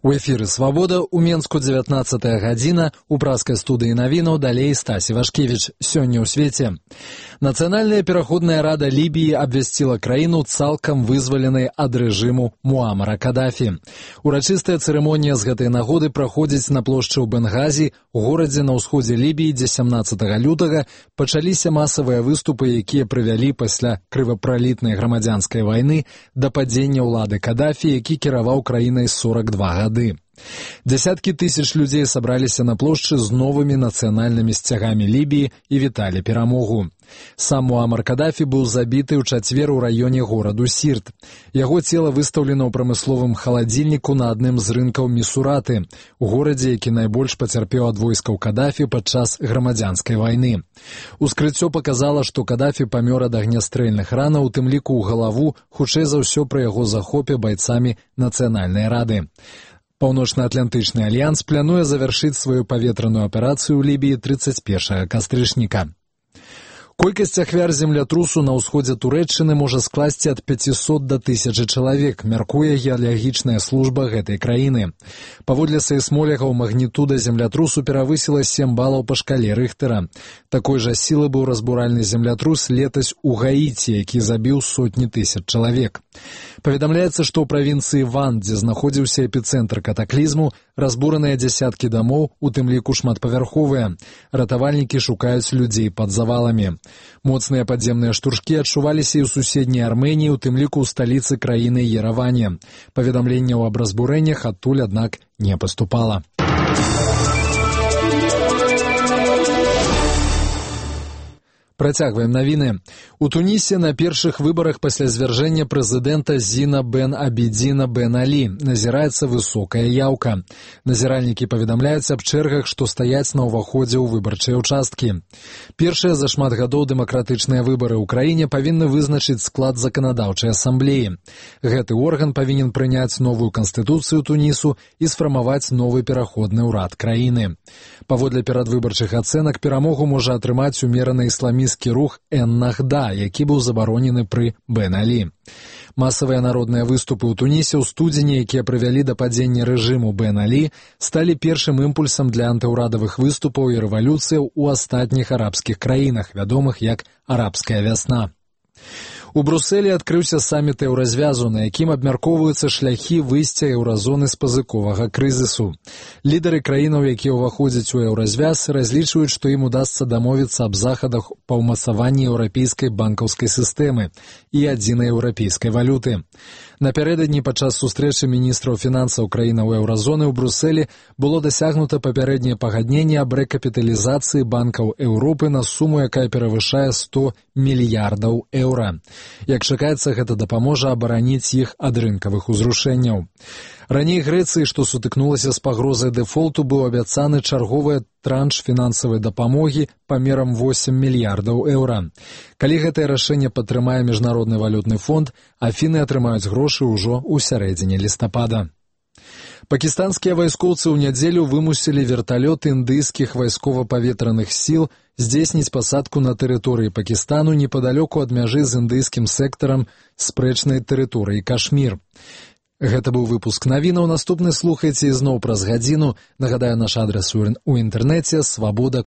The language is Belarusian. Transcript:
У эфіры «Свабода» у Менску 19-я гадзіна, у праскай студыі навінаў далей Стасі Вашкевіч. Сёння ў свеце. Нацыянальная пераходная рада Лібіі абвясціла краіну цалкам вызваленай ад рэжыму Муамара Кадафі. Урачыстая цырымонія з гэтай нагоды праходзіць на плошчы ў Бенгазі, у горадзе на ўсходзе Лібіі, дзе 17 лютага пачаліся масавыя выступы, якія прывялі пасля крывапралітнай грамадзянскай вайны да падзення ўлады Кадафі, які кіраваў краінай 42 гады. Десяткі тысяч людзей сабраліся на плошчы з новымі нацыянальнымі сцягамі Лібіі і віталі перамогу. Сам Муамар Кадафі быў забіты ў чацвер у раёне гораду Сірт. Яго цела выстаўлена ў прамысловым халадзільніку на адным з рынкаў Місураты, у горадзе, які найбольш пацярпеў ад войскаў Кадафі падчас грамадзянскай вайны. Ускрыццё паказала, што Кадафі памёр ад агнястрэльных ранаў, у тым ліку ў галаву, хутчэй за ўсё пры яго захопе байцамі Нацыянальнай рады. Паўночна-атлантычны альянс плануе завяршыць сваю паветраную аперацыю ў Лібіі 31 кастрычніка. Колькасць ахвяр землятрусу на ўсходзе Турэччыны можа скласці ад 500 до 1000 чалавек, мяркуе геалагічная служба гэтай краіны. Паводле сейсмолягаў, магнітуда землятрусу перавысіла 7 балаў па шкале Рыхтера. Такой жа сілы быў разбуральны землятрус летась у Гаіці, які забіў сотні тысяч чалавек. Паведамляецца, што ў правінцыі Ван, дзе знаходзіўся эпіцэнтр катаклізму, разбураныя дзясяткі дамоў, у тым ліку шматпавярховыя. Ратавальнікі шукаюць людзей пад заваламі. Моцныя падземныя штуршкі адчуваліся і ў суседняй Арменіі, у тым ліку ў сталіцы краіны Ерэване. Паведамленняў аб разбурэннях адтуль, аднак, не паступала. Працягваем навіны. У Тунісе на першых выбарах пасля звяржэння прэзідэнта Зіна бен Абідзіна бен Алі назіраецца высокая яўка. Назіральнікі паведамляюць аб чэргах, што стаяць на ўваходзе ў выбарчыя ўчасткі. Першыя за шмат гадоў дэмакратычныя выбары ў краіне павінны вызначыць склад заканадаўчай асамблеі. Гэты орган павінен прыняць новую канстытуцыю Тунісу і сфармаваць новы пераходны ўрад краіны. Паводле перадвыбарчых ацэнак перамогу можа атрымаць умераны ісламісцкі рух Эн-Нахда, які быў забаронены пры Бен Алі. Масавыя народныя выступы ў Тунісе ў студзені, якія прывялі да падзення рэжыму Бен Алі, сталі першым імпульсам для антыўрадавых выступаў і рэвалюцыяў у астатніх арабскіх краінах, вядомых як арабская вясна. У Брусэлі адкрыўся саміт еўразвязу, на якім абмяркоўваюцца шляхі выйсця еўразоны з пазыковага крызісу. Лідары краінаў, якія ўваходзяць у еўразвяз, разлічваюць, што ім удасца дамовіцца аб захадах па ўмацаванні еўрапейскай банкаўскай сістэмы і адзінай еўрапейскай валюты. Напярэдадні падчас сустрэчы міністраў фінансаў краінаў еўразоны ў Брусэлі было дасягнута папярэдняе пагадненне аб рэкапіталізацыі банкаў Еўропы на суму, якая перавышае 100 мільярдаў еўра. Як чакаецца, гэта дапаможа абараніць іх ад рынкавых узрушэнняў. Раней Грэцыі, што сутыкнулася з пагрозай дэфолту, быў абяцаны чарговы транш фінансавай дапамогі памерам 8 мільярдаў еўра. Калі гэтае рашэнне падтрымае Міжнародны валютны фонд, афіны атрымаюць грошы ўжо ў сярэдзіне лістапада. Пакістанскія вайскоўцы ў нядзелю вымусілі верталёт індыйскіх вайскова-паветраных сіл здзейсніць пасадку на тэрыторыі Пакістану непадалёку ад мяжы з індыйскім сектарам спрэчнай тэрыторыі Кашмір. Гэта быў выпуск навінаў. Наступны слухайце ізноў праз гадзіну. Нагадаю, наш адрас у інтэрнэце свабода.орг.